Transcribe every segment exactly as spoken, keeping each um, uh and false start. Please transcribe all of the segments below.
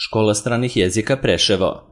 Škola stranih jezika Preševo.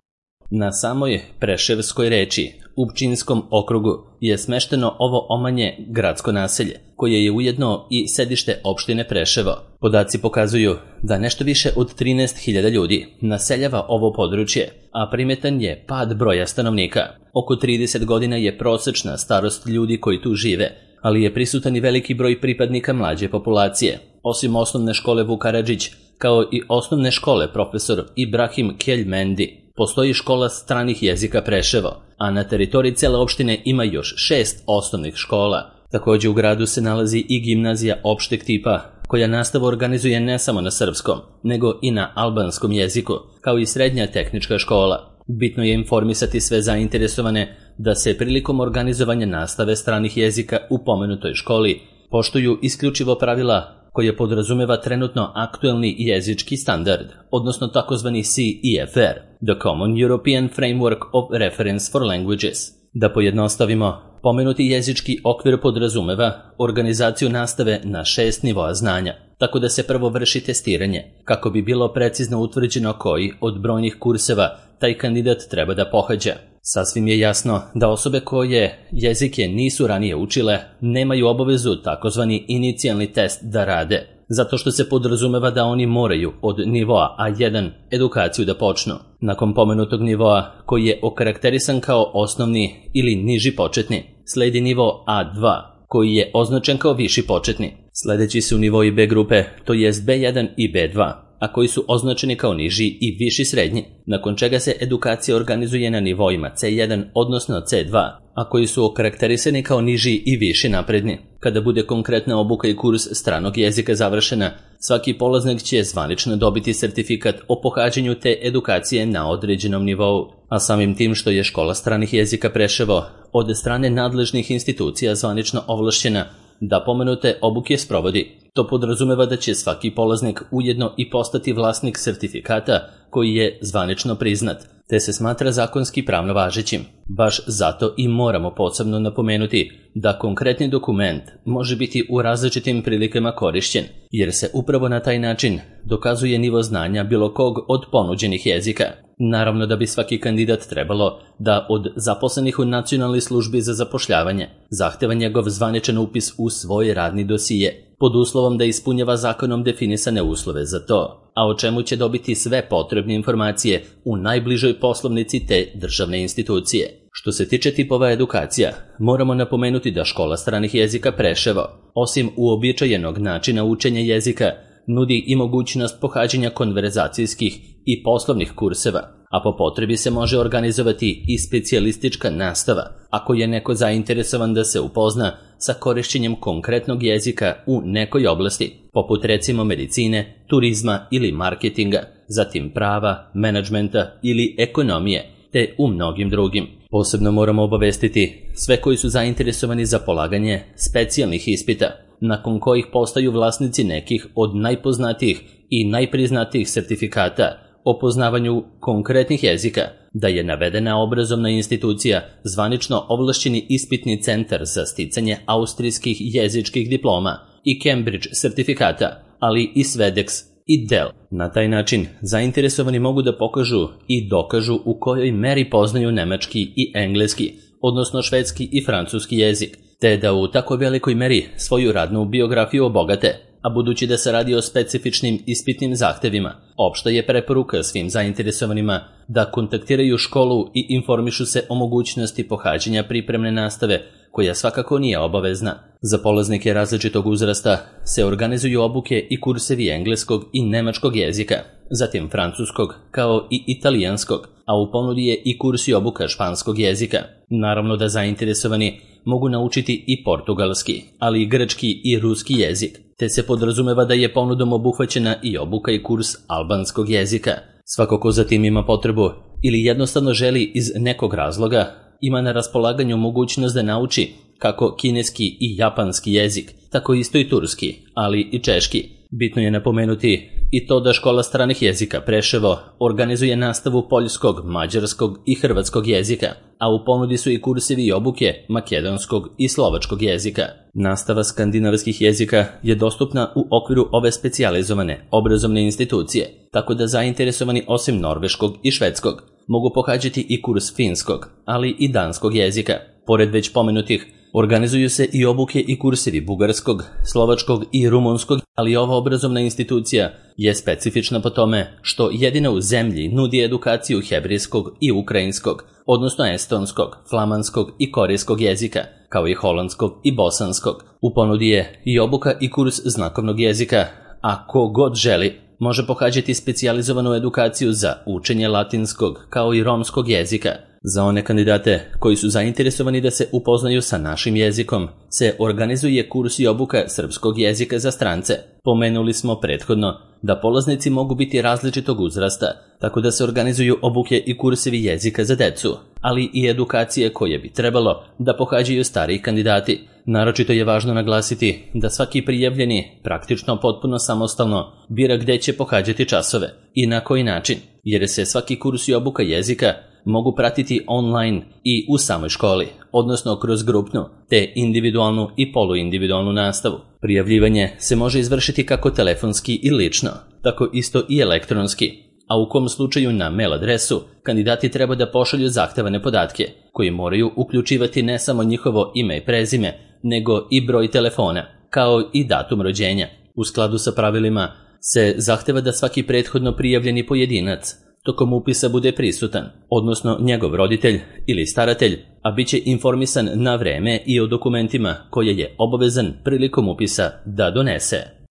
Na samoj Preševskoj reči, u Pčinjskom okrugu, je smešteno ovo omanje gradsko naselje, koje je ujedno i sedište opštine Preševo. Podaci pokazuju da nešto više od trinaest hiljada ljudi naseljava ovo područje, a primetan je pad broja stanovnika. Oko trideset godina je prosečna starost ljudi koji tu žive, ali je prisutan i veliki broj pripadnika mlađe populacije. Osim osnovne škole Vuk Karadžić, kao i osnovne škole profesor Ibrahim Keljmendi, postoji škola stranih jezika Preševo, a na teritoriji cele opštine ima još šest osnovnih škola. Takođe u gradu se nalazi i gimnazija opšteg tipa, koja nastavu organizuje ne samo na srpskom, nego i na albanskom jeziku, kao i srednja tehnička škola. Bitno je informisati sve zainteresovane da se prilikom organizovanja nastave stranih jezika u pomenutoj školi poštuju isključivo pravila koje podrazumeva trenutno aktuelni jezički standard, odnosno takozvani C E F R, The Common European Framework of Reference for Languages. Da pojednostavimo, pomenuti jezički okvir podrazumeva organizaciju nastave na šest nivoa znanja, tako da se prvo vrši testiranje, kako bi bilo precizno utvrđeno koji od brojnih kurseva taj kandidat treba da pohađa. Sasvim je jasno da osobe koje jezike nisu ranije učile nemaju obavezu takozvani inicijalni test da rade, zato što se podrazumeva da oni moraju od nivoa A jedan edukaciju da počnu. Nakon pomenutog nivoa, koji je okarakterisan kao osnovni ili niži početni, sledi nivo A dva, koji je označen kao viši početni. Sledeći su nivoi B grupe, to jest B jedan i B dva, a koji su označeni kao niži i viši srednji, nakon čega se edukacija organizuje na nivoima C jedan odnosno C dva, a koji su okarakterisani kao niži i viši napredni. Kada bude konkretna obuka i kurs stranog jezika završena, svaki polaznik će zvanično dobiti sertifikat o pohađanju te edukacije na određenom nivou, a samim tim što je škola stranih jezika Preševo od strane nadležnih institucija zvanično ovlašćena da pomenute obuke sprovodi. To podrazumeva da će svaki polaznik ujedno i postati vlasnik sertifikata koji je zvanično priznat, te se smatra zakonski pravno važećim. Baš zato i moramo posebno napomenuti da konkretni dokument može biti u različitim prilikama korišćen, jer se upravo na taj način dokazuje nivo znanja bilo kog od ponuđenih jezika. Naravno da bi svaki kandidat trebalo da od zaposlenih u Nacionalnoj službi za zapošljavanje zahteva njegov zvaničan upis u svoj radni dosije, pod uslovom da ispunjava zakonom definisane uslove za to, a o čemu će dobiti sve potrebne informacije u najbližoj poslovnici te državne institucije. Što se tiče tipova edukacija, moramo napomenuti da škola stranih jezika Preševo, osim uobičajenog načina učenja jezika, nudi i mogućnost pohađanja konverzacijskih i poslovnih kurseva, a po potrebi se može organizovati i specijalistička nastava, ako je neko zainteresovan da se upozna sa korišćenjem konkretnog jezika u nekoj oblasti, poput recimo medicine, turizma ili marketinga, zatim prava, menadžmenta ili ekonomije, te u mnogim drugim. Posebno moramo obavestiti sve koji su zainteresovani za polaganje specijalnih ispita, nakon kojih postaju vlasnici nekih od najpoznatijih i najpriznatijih sertifikata o poznavanju konkretnih jezika, da je navedena obrazovna institucija zvanično ovlašćeni ispitni centar za sticanje austrijskih jezičkih diploma i Cambridge sertifikata, ali i Svedex i D E L. Na taj način zainteresovani mogu da pokažu i dokažu u kojoj meri poznaju nemački i engleski, odnosno švedski i francuski jezik, te da u tako velikoj meri svoju radnu biografiju obogate, a budući da se radi o specifičnim ispitnim zahtevima, opšta je preporuka svim zainteresovanima da kontaktiraju školu i informišu se o mogućnosti pohađanja pripremne nastave, koja svakako nije obavezna. Za polaznike različitog uzrasta se organizuju obuke i kursevi engleskog i nemačkog jezika, zatim francuskog kao i italijanskog, a u ponudi je i kurs i obuka španskog jezika. Naravno da zainteresovani mogu naučiti i portugalski, ali i grčki i ruski jezik, te se podrazumeva da je ponudom obuhvaćena i obuka i kurs albanskog jezika. Svako ko zatim ima potrebu ili jednostavno želi iz nekog razloga, ima na raspolaganju mogućnost da nauči kako kineski i japanski jezik, tako isto i turski, ali i češki. Bitno je napomenuti i to da Škola stranih jezika Preševo organizuje nastavu poljskog, mađarskog i hrvatskog jezika, a u ponudi su i kursevi i obuke makedonskog i slovačkog jezika. Nastava skandinavskih jezika je dostupna u okviru ove specijalizovane obrazovne institucije, tako da zainteresovani osim norveškog i švedskog mogu pohađati i kurs finskog, ali i danskog jezika. Pored već pomenutih, organizuju se i obuke i kursevi bugarskog, slovačkog i rumunskog, ali ova obrazovna institucija je specifična po tome što jedina u zemlji nudi edukaciju hebrijskog i ukrajinskog, odnosno estonskog, flamanskog i korejskog jezika, kao i holandskog i bosanskog. U ponudi je i obuka i kurs znakovnog jezika, a ko god želi može pohađati specijalizovanu edukaciju za učenje latinskog kao i romskog jezika. Za one kandidate koji su zainteresovani da se upoznaju sa našim jezikom, se organizuje kurs i obuka srpskog jezika za strance. Pomenuli smo prethodno da polaznici mogu biti različitog uzrasta, tako da se organizuju obuke i kursevi jezika za decu, ali i edukacije koje bi trebalo da pohađaju stariji kandidati. Naročito je važno naglasiti da svaki prijavljeni praktično potpuno samostalno bira gde će pohađati časove i na koji način, jer se svaki kurs i obuka jezika mogu pratiti online i u samoj školi, odnosno kroz grupnu, te individualnu i poluindividualnu nastavu. Prijavljivanje se može izvršiti kako telefonski i lično, tako isto i elektronski, a u kom slučaju na mail adresu kandidati treba da pošalju zahtevane podatke, koji moraju uključivati ne samo njihovo ime i prezime, nego i broj telefona, kao i datum rođenja. U skladu sa pravilima se zahteva da svaki prethodno prijavljeni pojedinac tokom upisa bude prisutan, odnosno njegov roditelj ili staratelj, a bit će informisan na vreme i o dokumentima koje je obavezan prilikom upisa da donese.